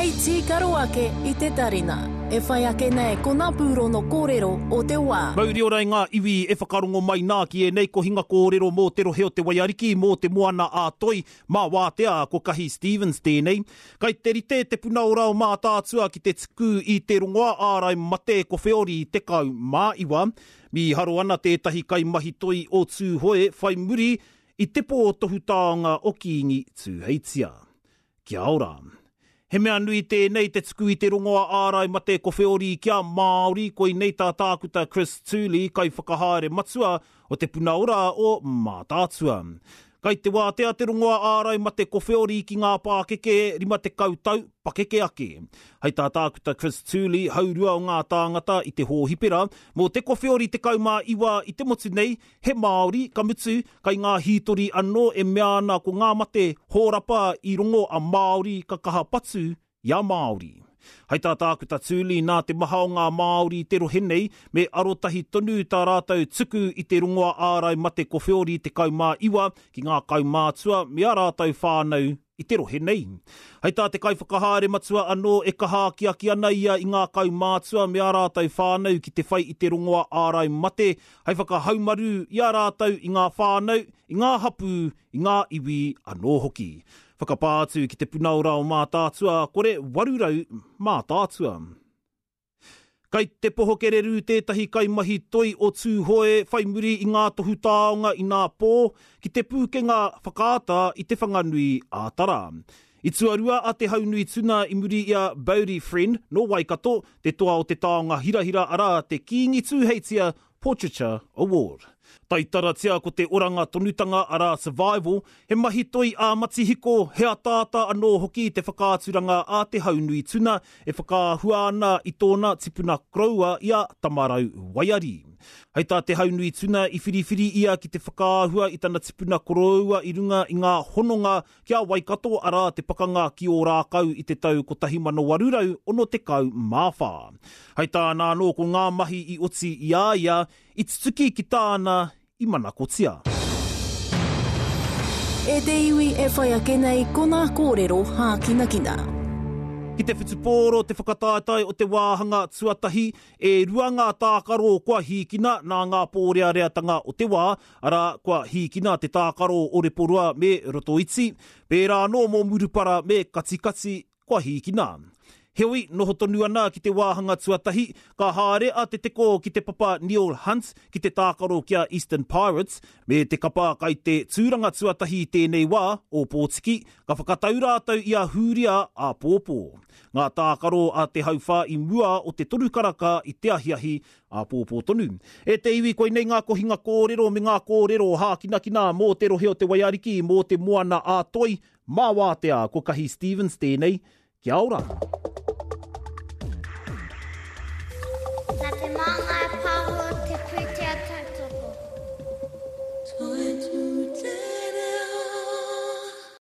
Hei tīkaro ake i te tarina. E whai ake nei ko ngā pūrono kōrero o te wā. Mauri ora i ngā iwi e whakarongo mai nā ki ēnei kohinga kōrero mō te rohe o Te Waiariki, mō Te Moana ā Toi, mā Wātea, ko Kahi Stevens tēnei. Kai te rite te puna ora o Mātaatua ki te tuku i te rongoa ārai mate kowheori 19. Mīharo ana tētahi kaimahi toi o Tūhoe whai muri i te pō tohu taonga o Kīngi Tūheitia. Kia ora. He mea nui tēnei te tuku i te rongoa ārai mate kowheori kia Māori, koinei tā Tākuta Chris Tooley, Kaiwhakahaere Matua o Te Puna Ora o Mātaatua. Kai te wātea te rongoa ārai mate kowheori ki ngā pākeke 50 tau pakeke ake. Hei tā Tākuta Chris Tooley, haurua o ngā tāngata i te hōhipera mō te kowheori 19 i te motu nei, He Māori, ka mutu, kai ngā hītori anō e mea ana ko ngā mate hōrapa i rongo a Māori ka kaha patu i a Māori. Hai tā Tākuta Tooley, nā te maha o ngā Māori i te rohe nei, me arotahi tonu tā rātou tuku i te rongoa ārai mate kowheori 19 ki ngā kaumātua me ā rātou whānau i te rohe nei. Hei tā te kaiwhakahaere matua anō e kaha akiaki ana ia i ngā kaumātua me ā rātou whānau ki te whai i te rongoa ārai mate hei whakahaumarū i a rātou i ngā whānau, i ngā hapū, i ngā iwi anō hoki. Whakapā atu ki Te Puna Ora o Mātaatua, kore 800 Mātaatua. Kai te poho kererū tētahi kaimahi toi o Tūhoe whai muri i ngā tohu taonga inā pō ki Te Pūkenga Whakaata i Te Whanganui a Tara. I tuarua a Te Haunui Tuna i muri i a Bodie Friend nō Waikato, te toa o te taonga hirahira arā te Kīngi Tūheitia Portraiture Award. Taitaratia ko te oranga tonutanga arā survival, he mahi toi ā-matihiko, he ataata anō hoki te whakaaturanga a Te Haunui Tuna e whakaahua ana i tōna tipuna koroua i a Tamarau Waiari. Hei tā Te Haunui Tuna i whiriwhiri ia ki te whakaahua i tana tipuna koroua i runga i ngā hononga ki a Waikato arā te pakanga ki Ōrākau i te tau 1864. Hei tāna anō ko ngā mahi i oti i a ia i tutuki ki tāna i manakotia. E te iwi e whai ake nei ko ngā kōrero hākinakina. Ki te whutupōro te whakataetae o te wāhanga tuatahi, e rua ngā tākaro kua hīkina nā ngā pōreareatanga o te wā, Arā, kua hīkina te tākaro o Reporoa me Rotoiti, pērā anō mō Murupara me Katikati, kua hīkina. Heoi, noho tonu ana ki te wāhanga tuatahi, ka haere a Te Teko ki te papa Neil Hunt ki te tākaro ki a Eastern Pirates, me te kapa kai te tūranga tuatahi i tēnei wā, Ōpōtiki, ka whakatau rātou i a Hūria āpōpō. Ngā tākaro a te hauwhā i mua o te toru karaka i te ahiahi, Āpōpō tonu. E te iwi, koinei ngā kohinga kōrero me ngā kōrero hākinakina mō te rohe o Te Waiariki, mō te Moana ā Toi, mā Wātea, ko Kahi Stevens tēnei. Kia ora! Nā Te Māngai Pāho.